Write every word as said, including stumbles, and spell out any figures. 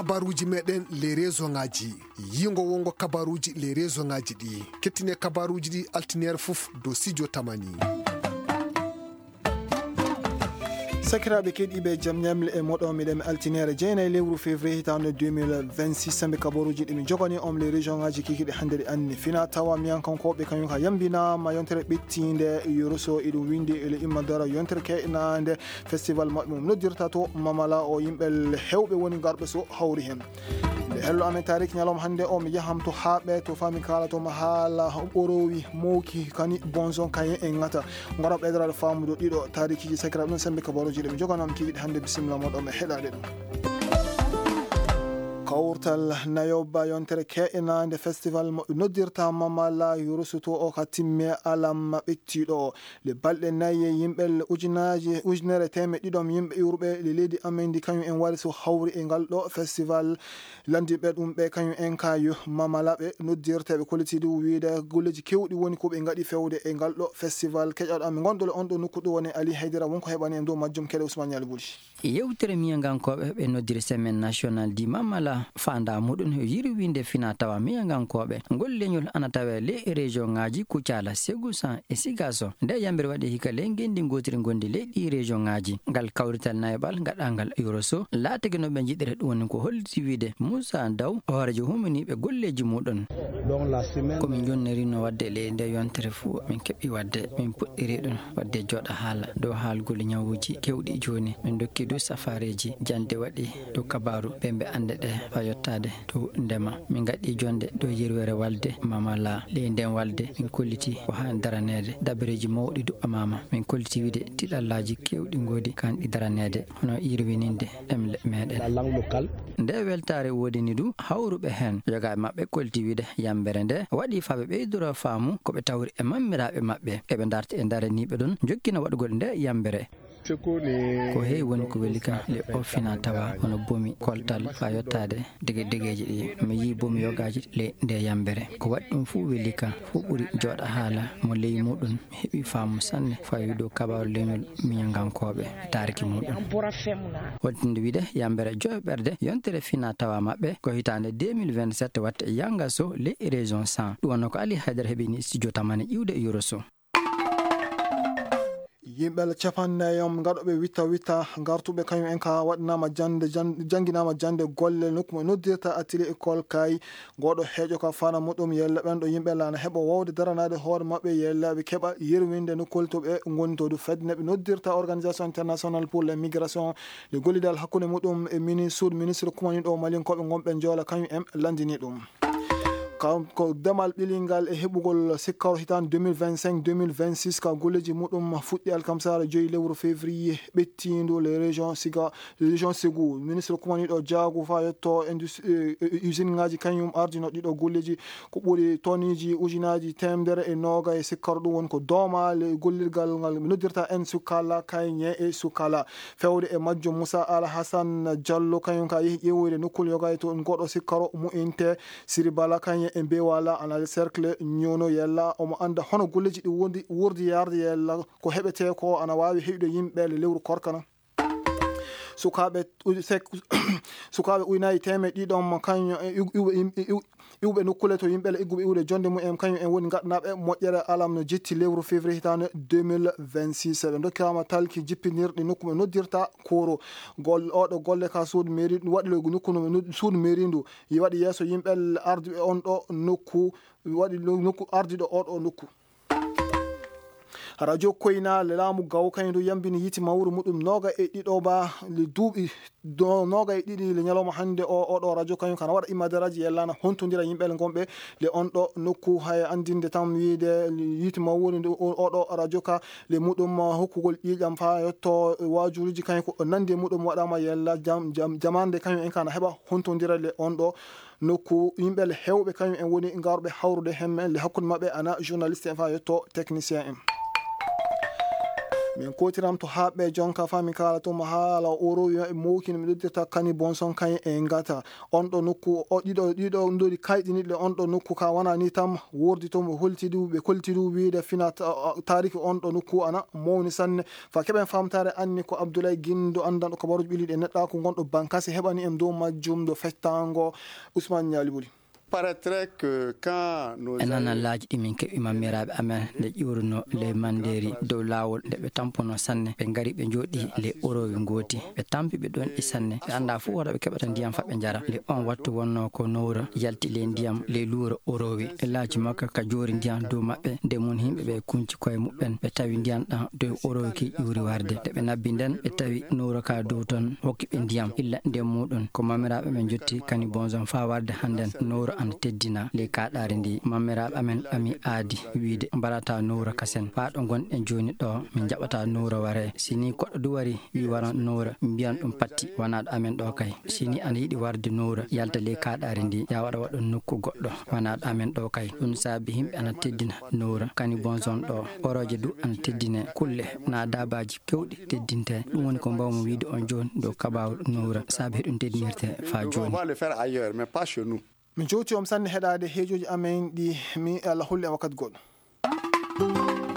Kabaruuji meɗen les région ŋaaji. Yiingo wongo kabaruuji les région ŋaaji ɗi. Kettine kabaruuji ɗi altineere fof dow studio Tamani. Sakiraaɓe keɗiiɓe, jam ñamle e moɗo miɗen altineere jeenayi lewru février hitaande deux mille vingt-six. Sambi kabaruuji ɗi mi jogani on les région ŋaaji kikiɗe hannde ɗi anni. Fina tawa miyankankooɓe kañum ka yambinaama yontere ɓettiinde Yoroso, iɗum winndi ele imma dara yontere keɗnaande festival maɓɓe mum noddirta to Mamala o. Yimɓe heewɓe woni garɓe so hawri heen. Nde hello amen tarik ñalawma hannde o, mi yaham to Haaɓe, to fami kala to ma haala ɓorowi mowki kani bonzon kayen en ŋata. Ngara ɓeydorade faamude ɗiɗo taarikiiji sakiraaɓe ɗum sembe kabaruuji ɗe mi joganam kikiɗe hannde. Bisimilla moɗo mi heɗade ɗum. Kawtal nayoba yontere ke'enaande festival mo noddirta Mamala Yurusuto o ka timme alam ɓettiɗo o. Le balɗe nayi e yimɓe ujunaaji, ujunere teemeɗɗe ɗiɗi yimɓe iwruɓe le leydi amen ndi, kañum en wari so hawri e ngal ɗo festival. Landiɓe ɗum ɓe kañum en ka yo Mamala ɓe noddirte ɓe kolliti ɗum wiyde golleeji kewɗi woni ko ɓe ngaɗi fewde e ngal ɗo festival. Keƴoɗo amen ngonɗo le on ɗo nokku ɗo woni Ali Haydara, wonko heɓani en dow majjum keɗe Ousmane Ñaali Buli. Yewtere miyangankooɓe ɓe noddiri Semaine Nationale di Mamala, faandaa muɗum yirwinde fina tawa miyangankooɓe. Ngol leñol ana tawee ley région ŋaaji Kucala, Segusan e Sigaso. Nde yambere waɗi hikka ley ngenndi ngootiri ngondi ley ɗi région ŋaaji. Ngal kawrital nayoɓal gaɗangal Yoroso, laatake no ɓe njiɗiri ɗum woni ko holliti wiyde Moussa Ndaw, hooreejo humaniiɓe golleeji muɗum. Ko min jonnirino waɗde ley nde yontere fuu, min keɓi waɗde, min puɗɗiri ɗum waɗde jooɗa haala dow haalgol ñawuuji kewɗi jooni. Min ndokki dow safareeji jannde waɗi dow kabaaru ɓe mbe annde ɗe faa yottaade dow ndema. Min ngaɗi jonnde dow yirwere walde Mamala. Ley nden walde min kolliti ko haani daraneede. Dabareeji mawɗi duɓɓamaama. Min kolliti wiyde tiɗallaaji kewɗi ngoodi kaan ɗi daraneede, hono yirwininde ɗemle meɗen. Nde weltaare woodini du hawruɓe heen, yogaaɓe maɓɓe kolliti wiyde yambere nde waɗi faa ɓe ɓeydora faamu ko ɓe tawri e mammiraaɓe maɓɓe. Eɓe ndarti e daraniiɓe ɗum jokkina waɗugol nde yambere. Ko heewi woni ko weli kam le o fina tawa hono bomi koltal faa yottaade dege degeeji ɗi. Mi yii bomi yogaaji le nde yambere. Ko waɗi ɗum fuu weli kam, fuu ɓuri jooɗa haala mo ley muɗum. Mi heɓi faamu sanne faa dow kabaaru leñol miñangankooɓe e taariki muɗum. Hollitinde wiyde yambere joyo ɓerde yontere fina tawa maɓɓe ko hitaande deux mille vingt-sept watte e Yangaso le région cent. Ɗum wonno ko Ali Haydara heɓini studio Tamani iwde Yoroso. Yimɓe capanɗe nayi ngaɗooɓe witta witta gartuɓe kañum en ka waɗanaama jannde, jan-, jannginaama jannde golle nokku mo noddirta atelier école kay. Ngoɗo heejo ka fana muɗum yella ɓen ɗo yimɓe laana heɓa wawde daranaade hoore maɓɓe yella ɓe keɓa yerwinde nokkol to ɓe ngoni to du fedde ne ɓe noddirta Organisation Internationale pour les Migrations. Nde gollidal hakkunde muɗum e mini suud ministre kumaniɗo Malinkooɓe ngonɓe Njoola kañum en landini ɗum. Kanko demal ɓilingal e heɓugol sikkaro hitaande deux mille vingt-cinq, deux mille vingt-six ka golleeji muɗum fuɗɗi alkamsaare joyi lewru février ɓettiindu le région Siga, région Ségou. Ministre kumaniɗo jaagu faa yetto indus-, eh, eh, usine ŋaaji kañum ardino ɗiɗo golleeji ko ɓuri tonneeji ujunaaji teemedere e noogay sikkaro. Ɗum woni ko dooma le gollirgal ngal ɓe noddirta en Sukala Kayñe e Sukala. Fewde e majjum Moussa Alhassan Diallo kañum ka yehi ƴeewoyde nokkol yoga e to ngoɗo sikkaro mu'inte Siri Bala kañum e Bewala ana cercle ñoono yella omo annda hono golleeji ɗi wondi wurdi yarde yella ko heɓetee ko ana waawi heɓude yimɓe le lewru korkana. Sukaaɓe u-, sek-, sukaaɓe ujunaaji teemedde ɗiɗi ɗon kañum e iw-, iw-, iw-, iw-, iwɓe nokkule to yimɓe le igguɓe iwde jonde mumen kañum en woni ngaɗanaaɓe moƴƴere alam no jetti lewru février hitaande deux mille vingt-six. Ɓe ndokkiraama talki jippinirɗi nokku ɓe noddirta Koro. Gol-, oɗo golle ka suudu mairie ɗum waɗi le nokku no, no, suudu mairie ndu. Yi waɗi yeeso yimɓe arduɓe on ɗo nokku, waɗi lo-, nokku arduɗo oɗo nokku. Radio Koyna le laamu gaw kañum ndu yambini yiite mawru muɗum nooga e ɗiɗo ba le duuɓi do-, nooga e ɗiɗi le ñalawma hannde o, oɗo radio kañum kana waɗa imadaraaji yellana hontondira yimɓe le gonɓe le on ɗo nokku. Hay anndinde tan wiyde yiite mawru ndu o-, oɗo radio ka le muɗum hokkugol ƴiiƴam faa yetto waajuuji kañum ko nandi e muɗum waɗaama yella jam-, jam-, jamaande kañum en kana heɓa hontondira le on ɗo nokku. Yimɓe le heewɓe kañum en woni ngarɓe hawrude hemmen le hakkunde maɓɓe ana journaliste en faa yetto technicien en. Min kotiram to haɓɓe jonka fa min kala to mo haala o rowi e mowkino mi ɗoddirta kani bonson kayen e ngata on ɗo nokku o ɗiɗo ɗiɗo ndori kayɗiniɗe on ɗo nokku ka wona ni tam wordi to mo holtidu ɓe koltidu wiide fina ta- tariki on ɗo nokku ana mawni sanne fa keɓen famtare anni ko abdoulay gindo andanɗo kabaruji ɓiliɗe neɗɗaku gonɗo bankasi heɓani en dow majjum ɗo fectango. Ousmane Ñalibuli. Paraîtrait que quand nos e nanallaaji ɗi min keɓi mammiraaɓe amen nde ƴuurno ley mandeeri dow laawol nde ɓe tampuno sanne ɓe ngari ɓe njooɗi ley oroowi ngooti ɓe tampi ɓe ɗon ɗi sanne ɓe annda fof wata ɓe keɓata ndiyam fa ɓe njara nde on wattu wonno ko nowra yalti ley ndiyam ley luura oroowi e laaji makka ka joori ndiyam dow maɓɓe nde mun yimɓe ɓe kunci koye muɓɓen ɓe tawi ndiyam ɗam dow oroowi ki ƴuuri warde nde ɓe nabbi nden ɓe tawi nowra ka dow ton hokki ɓe ndiyam illa nden muɗum ko mamiraaɓe ɓe njotti kani bonzon fa warde hannden nowra ana teddina ley kaɗaari ndi mamiraaɓe amen ɓami aadi wiide mbarata nowra kasen faa ɗo ngonɗen jooni ɗo min njaɓata nowra ware si ni koɗɗo du wari wi wara nowra mbiyan ɗum patti wanaɗo amen ɗo kay si ni ana yiɗi warde nowra yalta ley kaɗaari ndi ya waɗa waɗa nokku goɗɗo wanaɗo amen ɗo kay ɗum saabi yimɓe ana teddina nowra kani bonzon ɗo oroje du ana teddine kulle na dabaji kewɗi teddinte ɗum woni ko mbawmi wiide on jooni dow kabaru nowra saabi heɗum teddinirte fa jooni. Min jowti on sanne heɗade heejoji amen ɗi mi allah holli e wakkati goɗɗo.